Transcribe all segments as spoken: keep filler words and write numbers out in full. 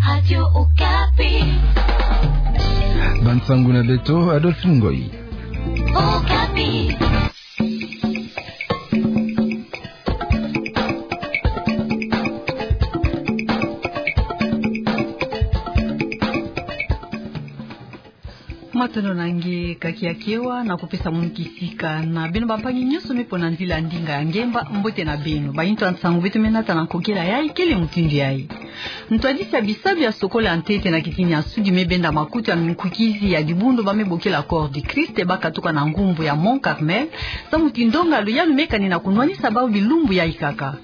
Radio Okapi. Bansangu na beto, Adolphe Ngoyi. Okapi. Matondo na nge, Kaki ya Kewa, na kupesa munu kisika na beno bampangi nyonso me pona nzila ndinga ya ngemba. Mbote na beno. Bayintu ya nsangu beto me nata na nkokela yayi kele mutindu yayi. Ntwadisi ya bisalu ya sokola ntete na kitini ya Sudi me benda makutu ya minkukizi ya dibundu ba me bokila Corps du Christ, ba katuka na ngumbu ya Mont Carmel, samu ti ndonga luyalu me kani na kunwanisa bawu bilumbu yayi kaka.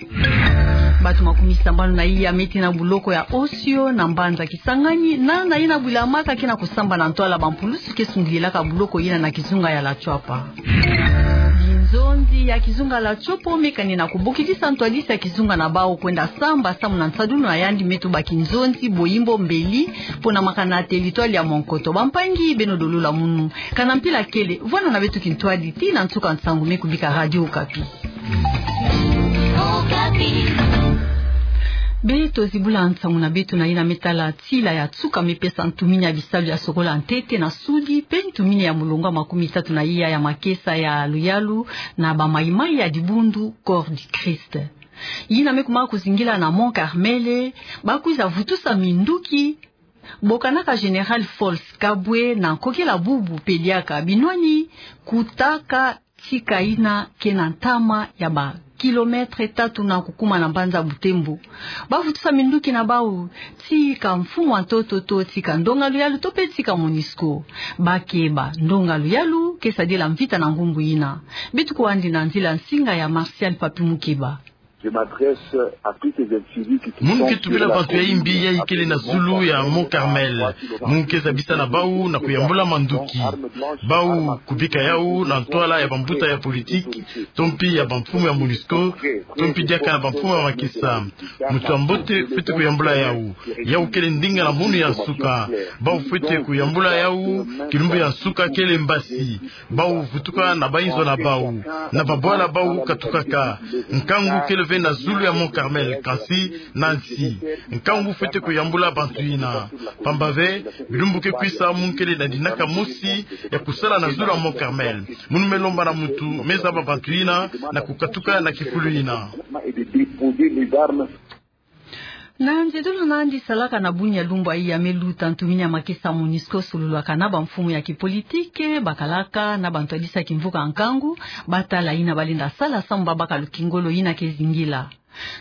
Bato makumi sambanu na iya me tina buloko ya Osio na mbanza Kisangani, na, na yina bwila maka ke na kusamba na ntwala bampulusu ke sungililaka buloko yina na kizunga ya Lachuapa. Binzonzi ya kizunga Lachuapa me kani na kubokidisa ntwadisi ya kizunga na bawu kwenda samba, samu na nsadulu na yandi me tuba kinzonzi boyimbo mbeli pona makana ya teritware ya Monkoto. Bampangi, beno dololo munu. Kana mpila kele, vwanda na beto kintwadi tii na nsuka nsangu me kubika Radio Okapi. Okapi. Beto zibula nsangu na beto na yina me tala tila ya nsuka me pesa ntumini ya bisalu ya sokola ntete na Sudi, pe ntumini ya mulongo ya makumi tatu na iya ya makesa ya luyalu na bamaimai ya dibundu Corps du Christ. Yina me kuma kuzingila na Mont Carmel, ba kwiza vutusa minduki. Bokanaka Général Fols Kabwe na nkokela bubu pe diaka binwani kutaka tika yina ke na ntama ya ba kilomètre tatu na kukuma na mbanza Butembo. Ba vutusa minduki na bawu tika mfumu wa ntoto to tika ndonga luyalu to pe tika MONUSCO. Ba keba ndonga luyalu ke sadila mvita na ngumbu yina. Beto kwandi na nzila nsinga ya Martial Papi Mukeba. Je m'adresse à tous ces individus qui Munu ke tubila bantu ya yimbi yayi kele na zulu ya Mont Carmel. Munu ke zabisa na bawu na kuyambula manduki. Bawu kubika yawu na ntwala ya bambuta ya politiki, to mpi ya bamfumu ya MONUSCO, to mpi diaka na bamfumu ya makesa. Muntu ya mbote fwete kuyambula yawu. Yawu kele ndinga na munu ya nsuka. Bawu fwete kuyambula yawu, kilumbu ya nsuka kele mbasi. Bawu vutuka na bayinzo na bawu, na babwala bawu katukaka. Nkangu kele ve na zulu ya Mont Carmel, kansi na nsi. Nkangu fwete kuyambula bantu yina. Pamba ve, bilumbu ke kwisa munu kele na dinaka mosi ya kusala na zulu ya Mont Carmel. Munu me lomba na muntu me zaba bantu yina na kukatuka na kifulu yina. Na nzedolo na yandi salaka na bunia lumbu ya iya me luta, ntumini ya makesa MONUSCO solulaka na bamfumu ya kipolitiki, bakalaka na bantwadisi ya kimvuka nkangu, ba tala yina ba lenda sala samu ba baka lukingolo yina ke zingila.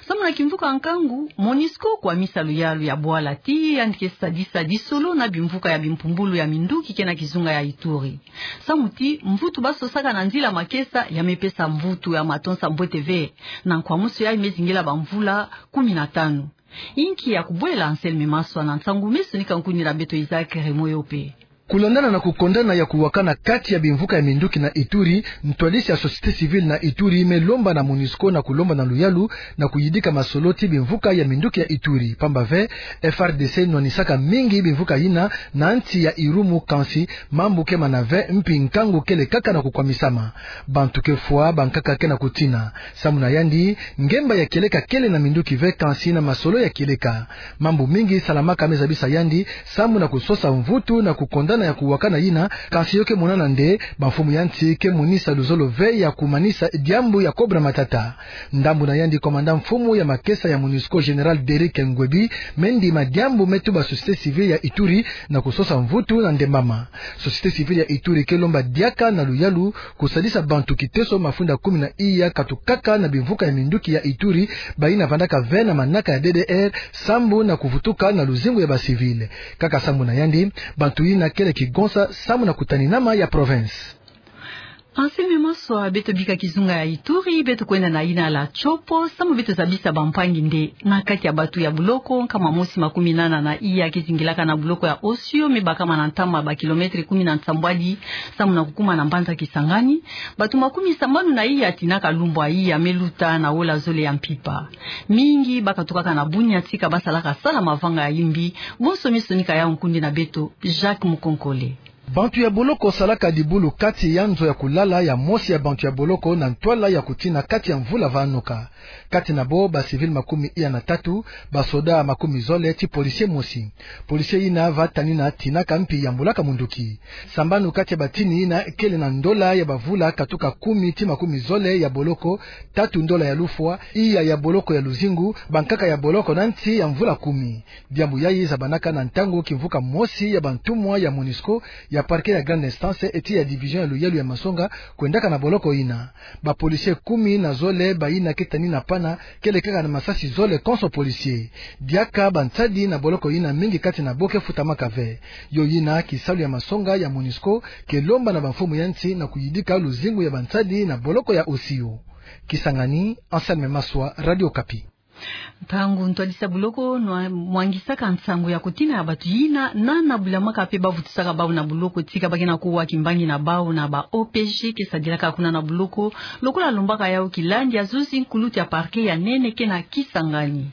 Samu na kimvuka nkangu, MONUSCO kwamisa luyalu ya bwala ti yandi ke sadisa disolo na bimvuka ya bimpumbulu ya minduki ke na kizunga ya Ituri. Samu ti mvutu ba sosaka na nzila makesa ya me pesa mvutu ya matonsa mbote ve, na nkwamusu yayi me zingila bamvula kumi na tanu. Inki ya kubwela? Anselme Maswa na nsangu me sonika nkuni na beto Isaac Remoyope. Kulandana na kukondana ya kuwakana kati ya bimvuka ya minduki na Ituri, ntwadisi ya société civile na Ituri me lomba na MONUSCO na kulomba na luyalu na kuyidika masolo ti bimvuka ya minduki ya Ituri. Pamba ve, F R D C nwanisaka mingi bimvuka yina na nsi ya Irumu, kansi mambu ke mana ve, mpi nkangu kele kaka na kukwamisama. Bantu ke fwa, bankaka ke na kutina. Samu na yandi, ngemba ya kieleka kele na minduki ve, kansi na masolo ya kieleka. Mambu mingi salamaka me zabisa yandi samu na kusosa mvutu na kukondana ya kuwakana yina, kansi yo ke monana nde bamfumu ya nsi ke monisa luzolo ve ya kumanisa diambu ya kobra matata. Ndambu na yandi, komanda mfumu ya makesa ya MONUSCO, général Derrick Nguebi, me ndima diambu me tuba société civile ya Ituri na kusosa mvutu na ndembama. Société civile ya Ituri ke lomba diaka na luyalu kusadisa bantu kiteso mafunda kumi na iya katukaka na bimvuka ya minduki ya Ituri, bayina vandaka ve na manaka ya D D R, samu na kuvutuka na luzingu ya ba civil. Kaka samu na yandi, bantu yina kele kigonsa samu na kutaninama ya province. Anselme Maswa, beto bika kizunga ya Ituri, beto kwenda na yina la Tshopo, samu beto zabisa bampangi nde na kati ya bantu ya buloko nkama mosi makumi nana na iya ke zingilaka na buloko ya Osio, me bakama na ntama ba kilomètre kumi na nsambwadi samu na kukuma na mbanza Kisangani, bantu makumi sambanu na iya tina ka lumbu ya iya me luta na wola zole ya mpimpa. Mingi ba katukaka na bunia tika ba salaka sala mavanga ya yimbi. Bonso me sonika yawu nkundi na beto Jacques Mukonkole. Bantu ya boloko salaka dibulu kati ya nzo ya kulala ya mosi ya bantu ya boloko na ntwala ya kutina kati ya mvula vanoka. Kati na bo ba civil makumi iya na tatu, ba soda makumi zole ti policier mosi. Policier yina va tanina tinaka mpi yambulaka munduki. Sambanu kati ya batini yina kele na ndola ya bavula katuka kumi ti makumi zole ya boloko, tatu ndola ya lufwa, iya ya boloko ya luzingu, bankaka ya boloko na nsi ya mvula kumi. Diambu yayi zabanaka na ntangu kimvuka mosi ya bantumwa ya MONUSCO, ya parquet ya grande instance eti ya division ya luyalu ya masonga kwendaka na boloko yina. Ba policier kumi na zole bayina ke tanina pana, kele kaka na masasi zole konso policier. Diaka bansadi na boloko yina mingi kati na bo ke futamaka ve. Yo yina kisalu ya masonga ya MONUSCO ke lomba na bamfumu ya nsi na kuyidika luzingu ya bansadi na boloko ya Osio. Kisangani, Anselme Maswa, Radio Okapi. Ntangu ntwadisi ya boloko nwa-, mwangisaka nsangu ya kutina ya bantu yina nana bulamaka mpe bavutusaka bau na boloko tika ba ke na kuwa kimbangi na bau na ba O P G ke sadilaka kuna na boloko, lokola lombaka yau kilandi ya zuzi nkulutu ya parquet ya nene ke na Kisangani.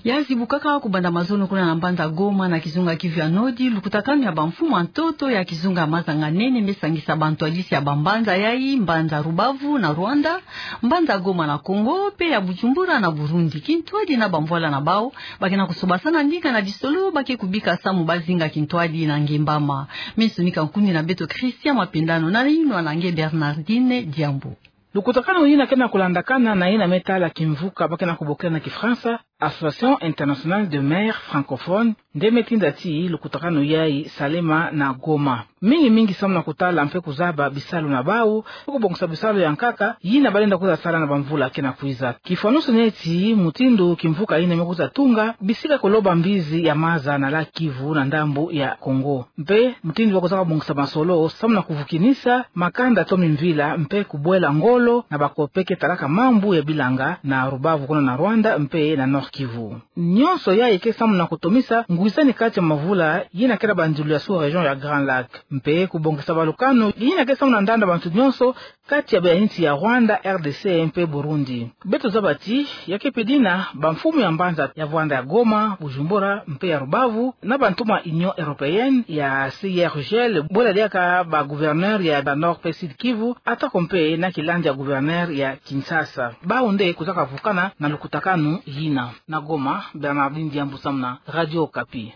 Ya zibukaka kubanda mazono kuna na mbanza Goma na kizunga Kivu ya Nord, lukutakanu ya bamfumu ya ntoto ya kizunga Mazanga-Nene me sangisa bantwadisi ya bambanza yayi, mbanza Rubavu na Rwanda, mbanza Goma na Congo, mpe ya Bujumbura na Burundi. Kintwadi na bamvwala na bau, ba ke na kusobasana ndinga na disolo ba ke kubika samu ba zinga kintwadi na nge mbama. Me sonika nkundi na beto Christian Mapendano na yinwa na nge Bernardine Diambu. Lukutakanu yina ke na kulandakana na yina me tala kimvuka ba ke na kubokila na Kifaransa Association Internationale de Maires Francophones, nde me tinda ti lukutakanu yayi Salema na Goma. Mingi mingi samu na kutala mpe kuzaba bisalu na bau, kubongisa bisalu ya nkaka yina ba lenda kwiza sala na bamvula ke na kwiza. Kifwanusu neti mutindu kimvuka yina me kwiza tunga bisika kuloba mbizi ya maza na lac Kivu na ndambu ya Congo. Mpe mutindu ba kwizaka bongisa masolo samu na kuvukinisa makanda to mimvila mpe kubwela ngolo na bako mpe ke talaka mambu ya bilanga na Rubavu kuna na Rwanda mpe na Nord-Kivu. Nyonso yayi ke samu na kutomisa ngwizani kati ya mavula yina kele banzulu ya sous-région ya Grand Lac, mpe kubongisa balukanu yina ke samu na ndanda bantu nyonso kati ya bansi ya Rwanda, R D C mpe Burundi. Beto zaba ti ya ke pedi na bamfumu ya mbanza ya vwanda ya Goma, Bujumbura mpe ya Rubavu, na bantumwa Union Européenne, ya C I R G L, bwela diaka ba gouverneur ya ba Nord mpe Sud Kivu, atako mpe na kilandi ya gouverneur ya Kinshasa. Bau nde kwizaka vukana na lukutakanu yina. Na Goma, Bernardine Diambu samu na Radio Okapi.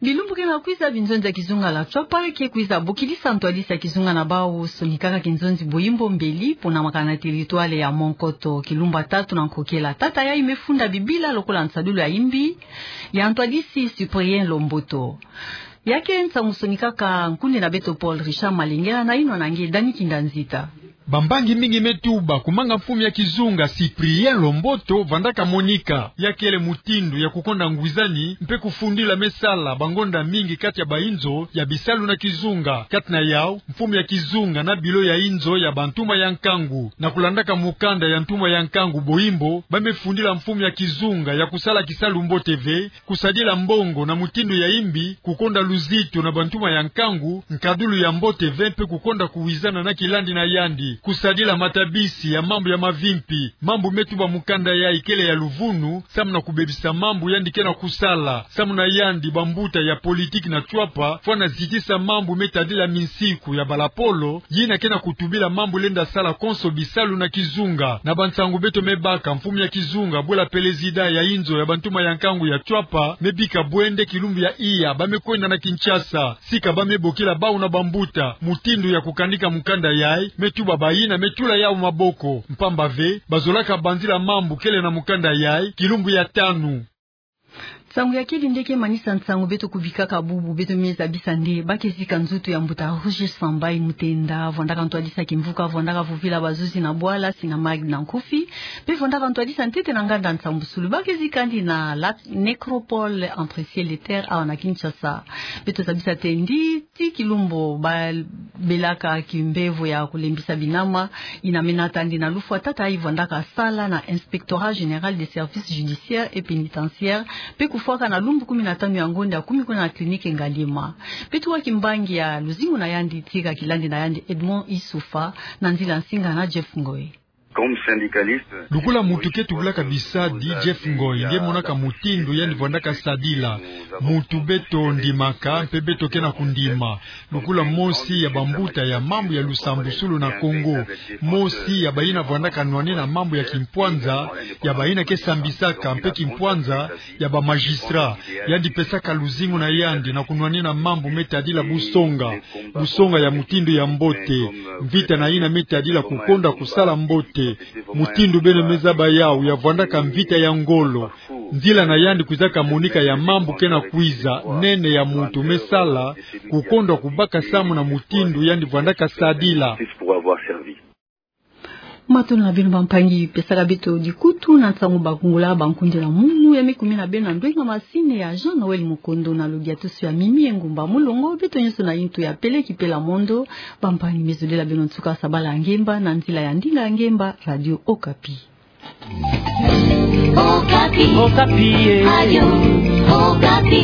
Bilumbu ke na kwiza, binzonzi ya kizunga la Tshuapa ke kwiza bokilisa ntwadisi ya kizunga na bau, sonikaka kinzonzi Boyimbo Mbeli, ponamaka na territoire ya Monkoto. Kilumbu ya tatu na nkokela tata yayi me funda Bibila lokola nsadulu ya imbi ya ntwadisi Cyprien Lomboto. Ya ke nsangu sonikaka nkundi na beto Paul Richard Malengela na yinwa na nge Dany Kinganzita. Bambangi mingi me tuba kumanga mfumu ya kizunga Cyprien Lomboto vandaka monika. Ya kele mutindu ya kukonda ngwizani mpe kufundila me sala bangonda mingi kati ya bayinzo ya bisalu na kizunga. Kati na yau, mfumu ya kizunga na bilo ya yinzo ya bantumwa ya nkangu. Na kulandaka mukanda ya ntumwa ya nkangu Boyimbo, ba me fundila mfumu ya kizunga ya kusala kisalu mbote ve, kusadila mbongo na mutindu ya imbi, kukonda luzitu na bantumwa ya nkangu, nkadulu ya mbote ve mpe kukonda kuwizana na kilandi na yandi, kusadila matabisi ya mambu ya mavimpi. Mambu me tuba mukanda yayi kele ya luvunu, samu na kubebisa mambu yandi ke na kusala. Samu na yandi, bambuta ya politiki na Tshuapa fwana zitisa mambu me tadila minsiku ya balapolo, yina ke na kutubila mambu lenda sala konso bisalu na kizunga. Na bansangu beto me baka, mfumu ya kizunga bwela pelezida ya yinzo ya bantumwa ya nkangu ya Tshuapa me bika bwende kilumbu ya iya ba me kwenda na Kinshasa. Sika ba me bokila bau na bambuta mutindu ya kukanika mukanda yayi, me tuba bayina me tula yau maboko. Mpamba ve, bazolaka banzila mambu kele na mukanda yayi kilumbu ya tanu. Nsangu ya keli nde ke manisa nsangu beto kubikaka bubu, beto me zabisa nde ba ke zika nzutu ya mbuta Roger Sambai Mutenda, vwandaka ntwadisi ya kimvuka, vwandaka vovila bazuzi na bwala, Sinamag na nkufi, mpe vwandaka ntwadisi ya ntete na nganda nsambusulu. Ba ke zika yandi na la nécropole entre ciel et terre awa na Kinshasa. Beto zabisa te yandi ti kilumbu ba belaka kimbevo ya kulembisa binama, yina me nata yandi na lufwa tata yayi vwandaka sala na Inspectorat Général des Services Judiciaires et Pénitentiaires, mpe kufwaka na lumbu kumi na tanu ya ngonda ya kumi kuna na clinique Ngaliema. Mpe tuwa kimbangi ya luzingu na yandi tika kilandi na yandi Edmond Issoufa, na nzila nsinga na Jeff Ngoy. Lokola muntu ke tubulaka bisadi, Jeff Ngoy nge monaka mutindu yandi vwandaka sadila. Muntu beto ndimaka, mpe beto ke na kundima. Lokola mosi ya bambuta ya mambu ya lusambusulu na Kongo, mosi ya bayina vwandaka nwanina mambu ya kimpwanza, ya bayina ke sambisaka mpe kimpwanza ya ba magistrat, yandi pesaka luzingu na yandi na kunwanina mambu me tadila busonga, busonga ya mutindu ya mbote, mvita na yina me tadila kukonda kusala mbote, mutindu beno me zaba yawu ya vwandaka mvita ya ngolo. Nzila na yandi kwizaka monika ya mambu ke na kwiza, nene ya muntu me sala, kukonda kubaka samu na mutindu yandi vwandaka sadila. Matondo na beno bampangi, pesaka beto dikutu na nsangu bakungula bankundi na munu ya me kumi na beno na ndwenga masini ya Jean Noël Mukondo na lodiatusu ya Mimi Engumba Mulongo, beto nyonso na yintu ya Pele Kipela Mondo. Bampangi, me zolela beno nsuka sabala ya ngemba na nzila ya ndinga ya ngemba, Radio Okapi. Okapi. Okapi, eh. Radio Okapi.